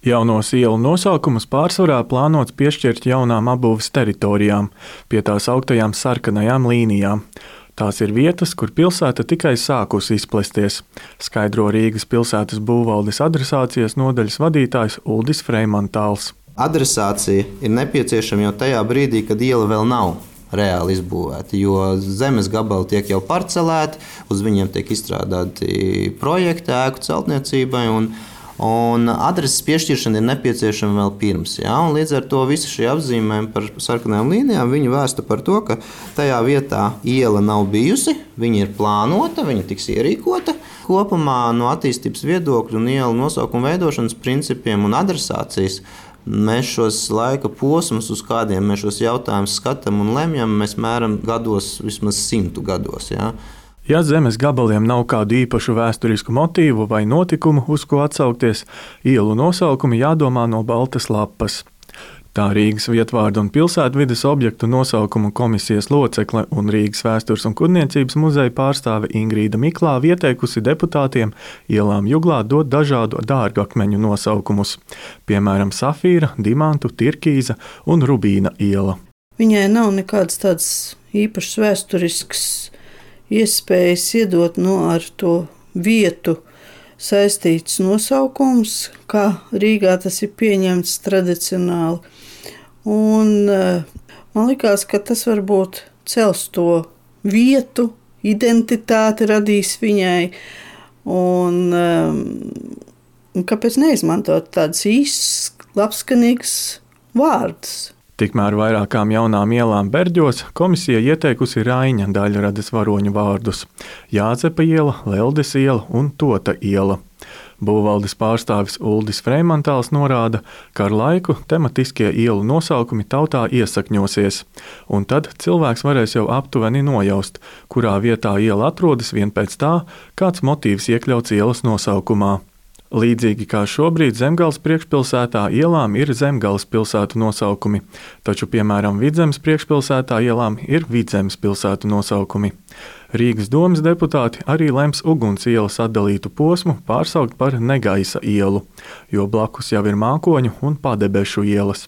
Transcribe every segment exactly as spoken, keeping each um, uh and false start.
Jaunos ielu nosaukumus pārsvarā plānots piešķirt jaunām apbūves teritorijām, pie tās augtajām sarkanajām līnijām. Tās ir vietas, kur pilsēta tikai sākusi izplesties, skaidro Rīgas pilsētas būvvaldes adresācijas nodaļas vadītājs Uldis Freimantāls. Adresācija ir nepieciešama jau tajā brīdī, kad iela vēl nav reāli izbūvēta, jo zemes gabali tiek jau parcelēti, uz viņiem tiek izstrādāti projekti ēku celtniecībai, un Un adreses piešķiršana ir nepieciešama vēl pirms. Ja? Līdz ar to visi šie apzīmējumi par sarkanajām līnijām vēsta par to, ka tajā vietā iela nav bijusi, viņa ir plānota, viņa tiks ierīkota. Kopumā no attīstības viedokļa un ielu nosaukuma veidošanas principiem un adresācijas mēs šos laika posmus, uz kādiem mēs šos jautājumus skatām un lemjam, mēs mēram gados, vismaz simtu gados. Ja? Ja zemes gabaliem nav kādu īpašu vēsturisku motīvu vai notikumu, uz ko atsaukties, ielu nosaukumi jādomā no baltas lapas. Tā Rīgas vietvārdu un pilsētvides objektu nosaukumu komisijas locekle un Rīgas vēstures un kurniecības muzeja pārstāve Ingrīda Miklāve ieteikusi deputātiem ielām Juglā dot dažādu dārgakmeņu nosaukumus, piemēram, Safīra, Dimantu, Tirkīza un Rubīna iela. Viņai nav nekāds tāds īpašs vēsturisks iespējas iedot no ar to vietu saistīts nosaukums, kā Rīgā tas ir pieņemts tradicionāli. Un man likās, ka tas varbūt cels to vietu, identitāti radīs viņai. Un, un kāpēc neizmantot tādus īsts, labskanīgs vārdus? Tikmēr vairākām jaunām ielām Berģos komisija ieteikusi Raiņa daļradas varoņu vārdus – Jāzepa iela, Leldes iela un Tota iela. Būvvaldes pārstāvis Uldis Freimantāls norāda, ka ar laiku tematiskie ielu nosaukumi tautā iesakņosies, un tad cilvēks varēs jau aptuveni nojaust, kurā vietā iela atrodas vien pēc tā, kāds motīvs iekļauts ielas nosaukumā. Līdzīgi kā šobrīd Zemgales priekšpilsētā ielām ir Zemgales pilsētu nosaukumi, taču, piemēram, Vidzemes priekšpilsētā ielām ir Vidzemes pilsētu nosaukumi. Rīgas domes deputāti arī lems Uguns ielas atdalītu posmu pārsaukt par Negaisa ielu, jo blakus jau ir Mākoņu un Padebešu ielas.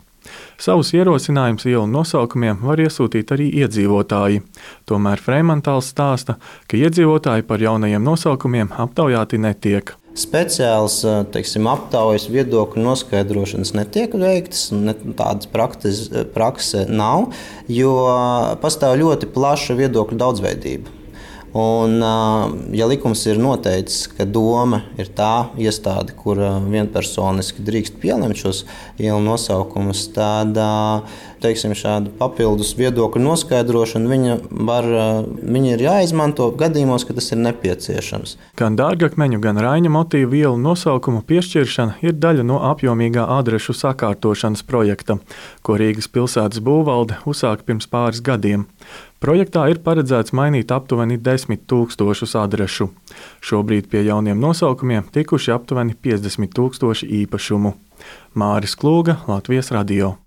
Savus ierosinājumus ielu nosaukumiem var iesūtīt arī iedzīvotāji. Tomēr Freimantāls stāsta, ka iedzīvotāji par jaunajiem nosaukumiem aptaujāti netiek. Speciāls teiksim, aptaujas viedokļu noskaidrošanas netiek veiktas, ne, tādas praktis, prakse nav, jo pastāv ļoti plaša viedokļu daudzveidība. Un, ja likums ir noteicis, ka doma ir tā iestāde, kur vienpersoniski drīkst pielemt šos ielu nosaukumus, tad teiksim, šādu papildus viedokļu noskaidrošanu viņa, var, viņa ir jāizmanto gadījumos, ka tas ir nepieciešams. Gan dārgakmeņu, gan Raiņa motīvu ielu nosaukumu piešķiršana ir daļa no apjomīgā adrešu sakārtošanas projekta, ko Rīgas pilsētas būvvalde uzsāka pirms pāris gadiem. Projektā ir paredzēts mainīt aptuveni desmit tūkstošus adrešu. Šobrīd pie jauniem nosaukumiem tikuši aptuveni piecdesmit tūkstoši īpašumu. Māris Klūga, Latvijas radio.